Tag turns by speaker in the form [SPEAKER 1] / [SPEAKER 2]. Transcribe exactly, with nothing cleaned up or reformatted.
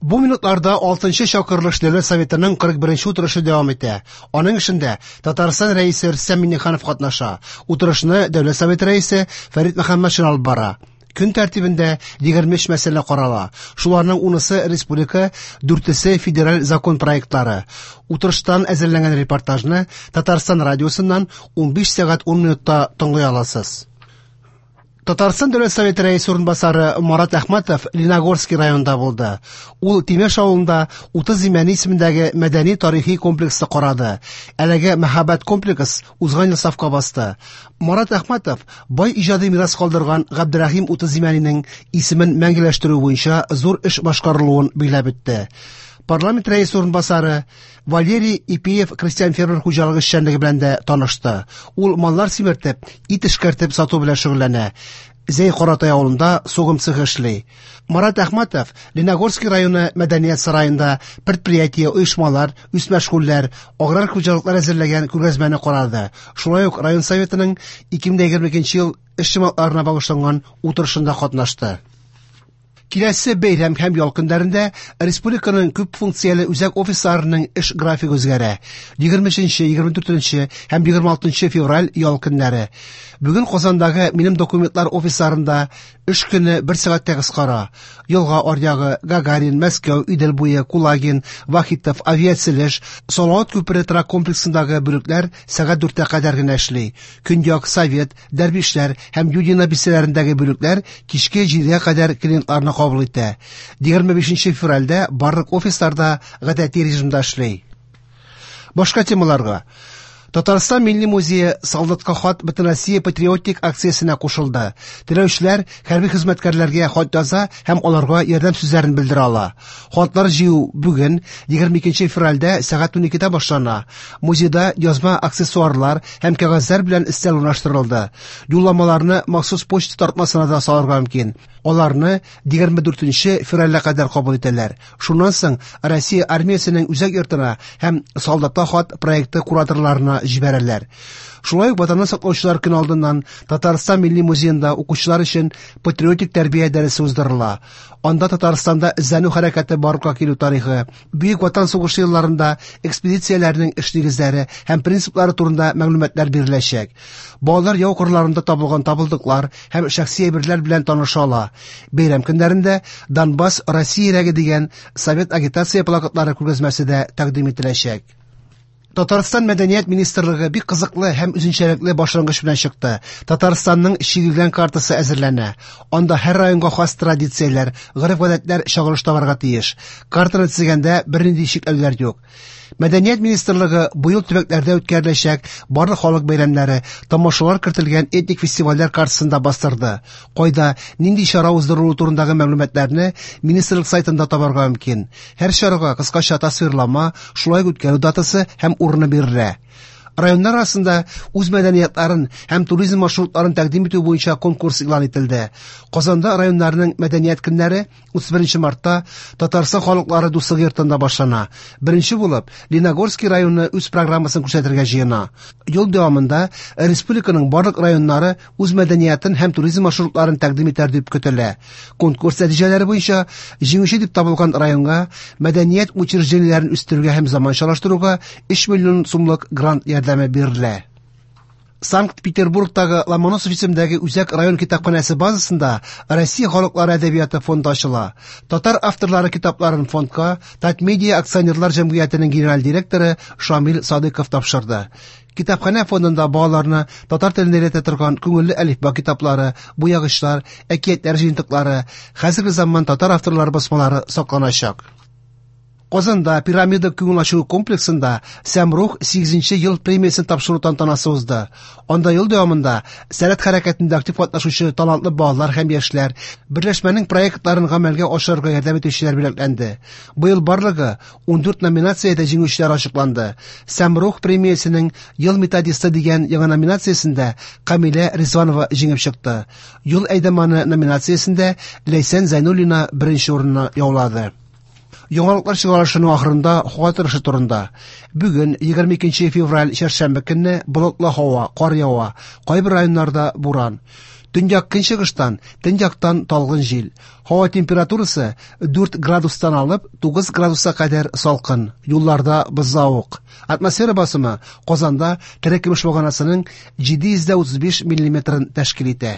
[SPEAKER 1] Бу минутларда алтынчы чакырылыш Дәүләт Советының кырык беренче утырышы дәвам итә. Аның эшендә Татарстан Рәисе Рөстәм Миңнеханов катнаша. Утырышны Дәүләт Советы Рәисе Фәрит Мөхәммәтшин алып бара. Көн тәртибендә егерме өч мәсьәлә карала. Шуларның унысы республика, дүртесе федераль закон проектлары. Утырыштан әзерләнгән репортажны Татарстан радиосыннан унбиш сәгать ун минутта тыңлый аласыз. Татарстан Дәүләт Советы Рәисе урынбасары Марат Әхмәтов Леногорский районында булды. Ул Тимеш авылында Утыз Имәни исемендәге мәдәни-тарихи комплексны карады. Әлеге мәһабәт комплекс узган ел сафка басты. Марат Әхмәтов бай иҗади мирас калдырган Габдрәхим Утыз Имәнинең исемен мәңгеләштерү буенча зур эш башкарылуын билгеләп үтте. Парламент рәисе урынбасары Валерий Ипиев крестьян-фермер хуҗалыгы эшчәнлеге белән дә танышты. Ул маллар симертеп, ит эшкәртеп сату белән шөгыльләнә. Зәй Каратай авылында сугым цехы эшли. Марат Әхмәтов Леногорский районы мәдәният сараенда предприятие, оешмалар, үзмәшгульләр, аграр хуҗалыклар әзерләгән күргәзмәне карады. Шулай ук район советының ике мең егерме икенче ел эш йомгакларына багышланган утырышында катнашты. Киләсе бәйрәм һәм ял көннәрендә республиканың күп функцияле үзәк офисларының эш графигы үзгәрә. Егерме өченче, егерме дүртенче һәм егерме алтынчы февраль ял көннәре. Бүген Казандагы минем документлар офисларында эш көне бер сәгатькә кыскара. Елга аръягы, Гагарин, Мәскәү, Идел буе, Кулагин, Вахитов, Авиацелеш, Салават күпере торак комплексындагы бүлекләр сәгать дүрткә кадәр генә эшли. Көньяк, Совет, Дәрвишләр һәм Юдино бистәләрендәге бүлекләр кичке җидегә кадәр клиентларны кабул итә. Егерме бишенче февральдә барлык офисларда гадәти режимда эшли. Башка темаларга. Татарстан Милли музее Солдатка хат Бөтенроссия патриотик акциясенә кушылды. Теләүчеләр хәрби хезмәткәрләргә хат яза һәм аларга ярдәм сүзләрен белдерә ала. Хатлар җыю бүген егерме икенче февральдә сәгать уникедә башлана. Музейда язма аксессуарлар һәм кәгазьләр белән өстәл урнаштырылды. Юлламаларны махсус почта тартмасына да салырга мөмкин. Аларны егерме дүртенче февральгә кадәр кабул итәләр. Шуннан соң Россия армиясенең үзәк йортына һәм Солдатка хат проекты кураторларына җибәрәләр. Шулай ук Ватанны саклаучылар көне алдыннан Татарстан Милли музеенда укучылар өчен патриотик тәрбия дәресе уздырыла. Анда Татарстанда эзләнү хәрәкәте барлыкка килү тарихы, Бөек Ватан сугышы елларында экспедицияләрнең эш нигезләре һәм принциплары турында мәгълүматлар биреләчәк. Балалар яу кырларында табылган табылдыклар һәм шәхси әйберләр белән таныша ала. Бәйрәм көннәрендә Донбасс Россия йөрәге дигән совет агитация плакатлары күргәзмәсе дә тәкъдим ителәчәк. Татарстан Мәдәният министрлыгы бик кызыклы һәм үзенчәлекле башлангыч белән чыкты. Татарстанның чигелгән картасы әзерләнә. Анда һәр районга хас традицияләр, гореф-гадәтләр чагылыш табарга тиеш. Картаны төзегәндә бернинди чикләүләр юк. Мәдәният министрлыгы быел төбәкләрдә үткәреләчәк барлык халык бәйрәмнәре, тамашалар кертелгән этник фестивальләр картасын да бастырды. Кайда, нинди чара уздырылуы турындагы мәгълүматларны министрлык сайтында табарга мөмкин. Һәр чарага кыскача тасвирлама, шулай ук үткәрү датасы һәм урыны бирелә. Районнар арасында үз мәдәниятларын һәм туризм маршрутларын тәкъдим итү буенча конкурс игълан ителде. Казанда районнарның мәдәният көннәре утыз беренче мартта Татарстан халыклары дуслыгы йортында башлана. Беренче булып Леногорский районы үз программасын күрсәтергә җыена. Ел дәвамында республиканың барлык районнары үз мәдәниятын һәм туризм маршрутларын тәкъдим итәр дип көтелә. Конкурс нәтиҗәләре буенча җиңүче дип табылган районга мәдәният учреждениеләрен үстерүгә һәм заманчалаштыруга өч миллион сумлык грант ярдәме бирелә. Санкт-Петербургтагы Ломоносов исемендәге Үзәк район китапханәсе базасында Россия халыклары әдәбияты фонды ачыла. Татар авторлары китапларын фондка Татмедиа акционерлар җәмгыятенең генераль директоры Шамил Садыков тапшырды. Китапханә фондында балаларны татар теленә өйрәтә торган күңелле әлифба китаплары, буягычлар, әкиятләр җыентыклары, хәзерге заман татар авторлары басмалары сакланачак. Казанда Пирамида күңел ачу комплексында Сәмрух сигезенче ел премиясен тапшыру тантанасы узды. Анда ел дәвамында сәләт хәрәкәтендә актив катнашучы талантлы балалар һәм яшьләр, берләшмәнең проектларын гамәлгә ашырырга ярдәм итүчеләр бүләкләнде. Быел барлыгы ундүрт номинациядә җиңүчеләр ачыкланды. Сәмрух премиясенең Ел методисты дигән яңа номинациясендә Камилә Ризванова җиңеп чыкты. Ел әйдәманы номинациясендә Ләйсән Зәйнуллина беренче урынны яулады. Яңалыклар чыгарылышының ахырында һава торышы турында. Бүген егерме икенче февраль чәршәмбе көнне болытлы һава, кар ява, кайбер районнарда буран. Төньяк-көнчыгыштан, төньяктан талгын җил. Һава температурасы дүрт градустан алып тугыз градуска кадәр салкын. Юлларда бозлавык. Атмосфера басымы Казанда терекөмеш баганасының җиде йөз дә утыз биш миллиметрын тәшкил итә.